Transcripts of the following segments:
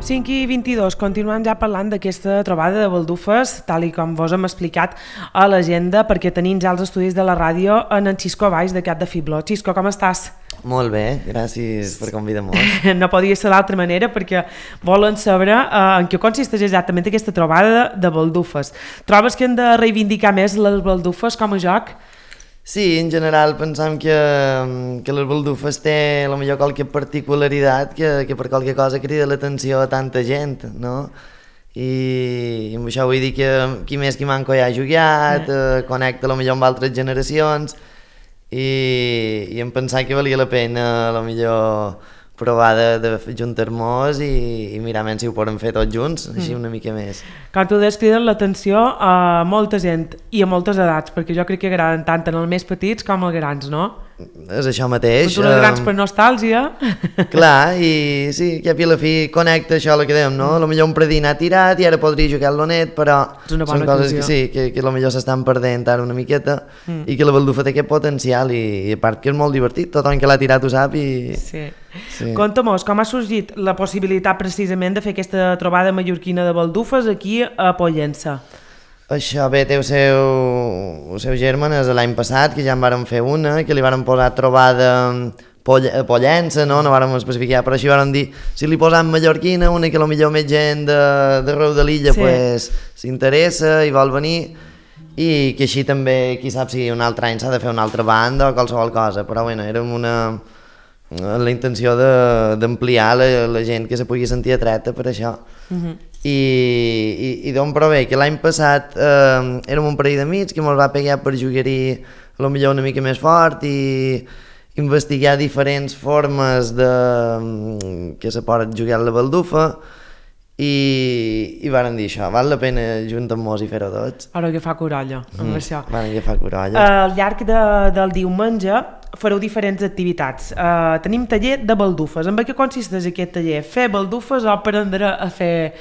5 i 22, continuem ja parlant d'aquesta trobada de baldufes, tal i com vos hem explicat a l'agenda, perquè tenim ja els estudis de la ràdio en Xisco Baix de Cap de Fibló. Xisco, com estàs? Molt bé, gràcies per convidar-nos. No podia ser d'altra manera, perquè volen saber en què consisteix exactament aquesta trobada de baldufes. Trobes que hem de reivindicar més les baldufes com a joc? Sí, en general pensam que les baldufes té potser qualque particularitat que per qualque cosa crida l'atenció a tanta gent, no? I amb això vull dir que qui més qui manco ja ha jugat, connecta potser amb altres generacions i em pensava que valia la pena potser provar de juntar-nos i mirar si ho podem fer tots junts, així una mica més. Com tu deies, criden l'atenció a molta gent i a moltes edats, perquè jo crec que agraden tant en els més petits com els grans, no? És això mateix. Tu els grans per nostàlgia. Clar, i sí, que a la fi connecta això el que dèiem, no? Potser un predí n'ha tirat i ara podria jugar al Lonet, però són coses que sí, que potser s'estan perdent ara una miqueta i que la baldufa té aquest potencial i a part que és molt divertit, tothom que l'ha tirat ho sap i... Sí. Conta-mos, com ha sorgit la possibilitat precisament de fer aquesta trobada mallorquina de baldufes aquí a Pollença? Això bé, té el seu germen és l'any passat, que ja en vàrem fer una, que li vàrem posar trobada Pollença, no vàrem especificar, però així vàrem dir, si li posam mallorquina, una que potser més gent d'arreu de l'illa s'interessa i vol venir, i que així també, qui sap si un altre any s'ha de fer una altra banda o qualsevol cosa, però bueno, érem la intenció d'ampliar la gent que se pugui sentir atreta per això. I d'on prové? Que l'any passat érem un parell d'amics que ens va pegar per jugar-hi potser una mica més fort i investigar diferents formes que se pot jugar a la baldufa i varen dir això, val la pena juntar-nos i fer-ho tots. Ara que fa corolla, amb això. Varen que fa corolla. Al llarg del diumenge fareu diferents activitats. Tenim taller de baldufes. En què consisteix aquest taller? Fer baldufes o aprendre a fer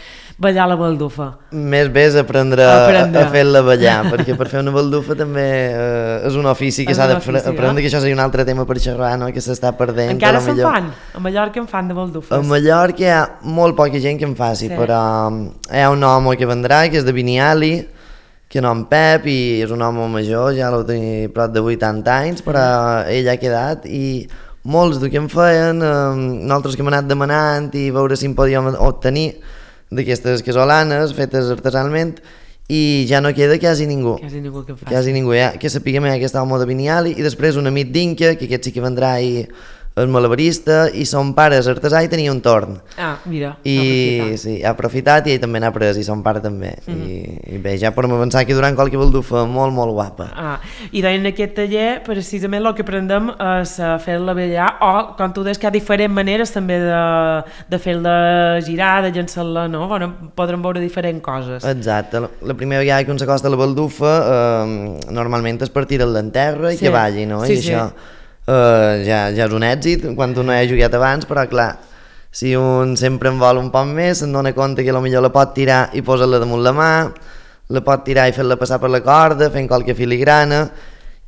ballar la baldufa? Més bé és aprendre a fer-la ballar, perquè per fer una baldufa també és un ofici que s'ha d'aprendre, que això seria un altre tema per xerrar, no? Que s'està perdent. Encara se'n fan? A Mallorca en fan de baldufes? A Mallorca hi ha molt poca gent que en faci, però hi ha un home que vendrà, que és de Biniali, que no en Pep, i és un home major, ja l'ho tenia prop de 80 anys, però ell ha quedat, i molts del que en feien, nosaltres que hem anat demanant i veure si en podíem obtenir d'aquestes casolanes fetes artesanalment, i ja no queda quasi ningú. Quasi ningú que en faci. Quasi ningú, que sapiguem aquest home de Biniali, i després un amic d'Inca, que aquest sí que vendrà i és malabarista, i son pare és artesà i tenia un torn. Ah, mira, ha aprofitat i ell també n'ha pres, i son pare també. I bé, ja podem avançar que durant qualque baldufa molt, molt guapa. I en aquest taller, precisament, el que aprendem és fer-la ballar, o, com tu deies, que hi ha diferents maneres també de fer-la girar, de llançar-la, no? Podrem veure diferents coses. Exacte. La primera vegada que un s'acosta a la baldufa, normalment és per tirar-la en terra i que balli, no? I això ja és un èxit quan un no hi ha jugat abans, però clar, si un sempre en vol un poc més, se'n dona compte que potser la pot tirar i posar-la damunt la mà, la pot tirar i fer-la passar per la corda fent qualque filigrana,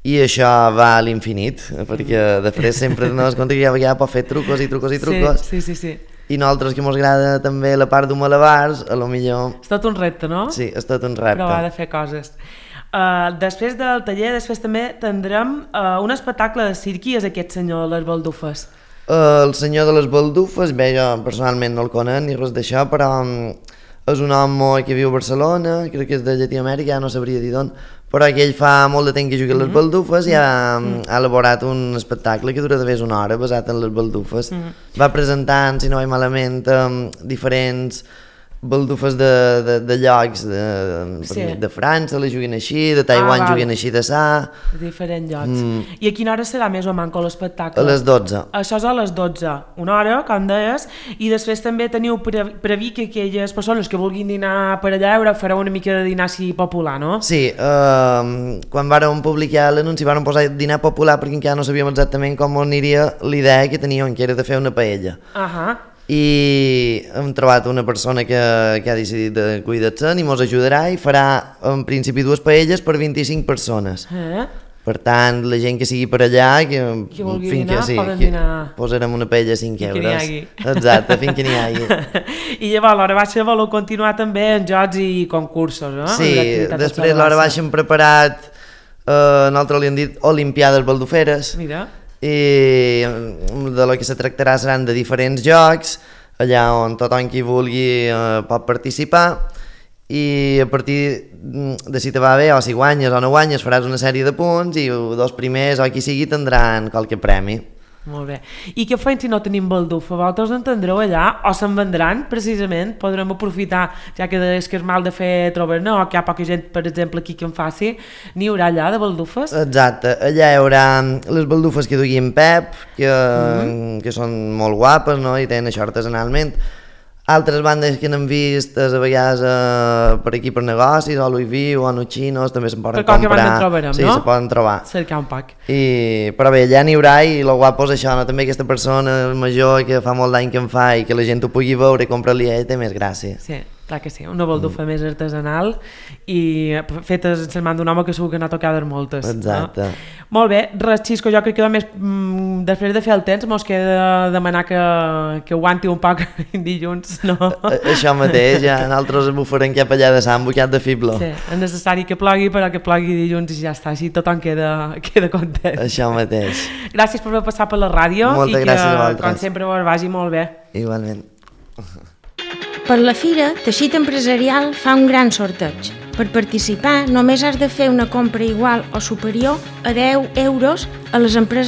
i això va a l'infinit, perquè després sempre dones compte que ja pot fer trucos i trucos i trucos. Sí. I nosaltres que ens agrada també la part d'un malabars, potser... És tot un repte, no? Sí, és tot un repte. Provar de fer coses. Després del taller, després també tindrem un espectacle de circ. Qui és aquest senyor de les baldufes? El senyor de les baldufes, bé, jo personalment no el conec ni res d'això, però és un home que viu a Barcelona, crec que és de Llatinoamèrica, ja no sabria dir d'on, però que ell fa molt de temps que juga a les baldufes i ha elaborat un espectacle que dura de més una hora basat en les baldufes. Va presentant, si no vaig malament, diferents baldufes de llocs de França, la juguen així, de Taiwan juguen així de sa. De diferents llocs. I a quina hora serà més o manco l'espectacle? A les 12. Això és a les 12, una hora, com deies, i després també teniu previst que aquelles persones que vulguin dinar per allà fareu una mica de dinar així popular, no? Sí, quan vàrem publicar l'anunci vàrem posar dinar popular perquè encara no sabíem exactament com aniria l'idea que teníem, que era de fer una paella. I hem trobat una persona que ha decidit cuidar-se'n i ens ajudarà i farà en principi 2 paelles per 25 persones. Per tant, la gent que sigui per allà, que vulgui fins dinar, que poden dinar. posarem una paella a 5 que euros. n'hi hagi. Exacte, fins que n'hi hagi. I llavors, l'hora baixa voleu continuar també en jocs i concursos, no? Sí, després l'hora baixa hem preparat, nosaltres li hem dit Olimpiades Balduferes, Mira. i de lo que se tractarà seran de diferents jocs, allà on tothom qui vulgui pot participar, i a partir de si te va bé o si guanyes o no guanyes faràs una sèrie de punts i els dos primers o qui sigui tindran qualque premi. Molt bé. I què feim si no tenim baldufa? Vosaltres entendreu allà o se'n vendran precisament? Podrem aprofitar, ja que és que és mal de fer trobar, no? O que hi ha poca gent, per exemple, aquí que en faci. N'hi haurà allà de baldufes? Exacte, allà hi haurà les baldufes que duia en Pep, que són molt guapes, no? I tenen això artesanalment. Altres bandes que n'hem vist a vegades per aquí per negocis, o Louis V o Nuchinos, també se'n poden comprar. Per qualque banda en trobarem, sí, no? se poden trobar. Cercar un poc. Però bé, allà n'hi haurà i el guapo és això, no? També aquesta persona major que fa molt d'any que en fa i que la gent ho pugui veure i comprar-li a ell té més gràcia. Sí, clar que sí, una baldufa més artesanal i feta en les mans d'un home que segur que n'ha tocades moltes. Exacte. No? Molt bé, res, Xisco, jo crec que només després de fer el temps mos queda demanar que aguanti un poc dilluns, no? Això mateix, ja nosaltres bufarem cap allà de Sant Bocat de Fiblo. Sí, és necessari que plogui, però que plogui dilluns i ja està, així tothom queda content. Això mateix. Gràcies per haver passat per la ràdio. Moltes gràcies a vosaltres. Com sempre us vagi molt bé. Igualment. Per la fira, Teixit Empresarial fa un gran sorteig. Per participar, només has de fer una compra igual o superior a 10 euros a les empreses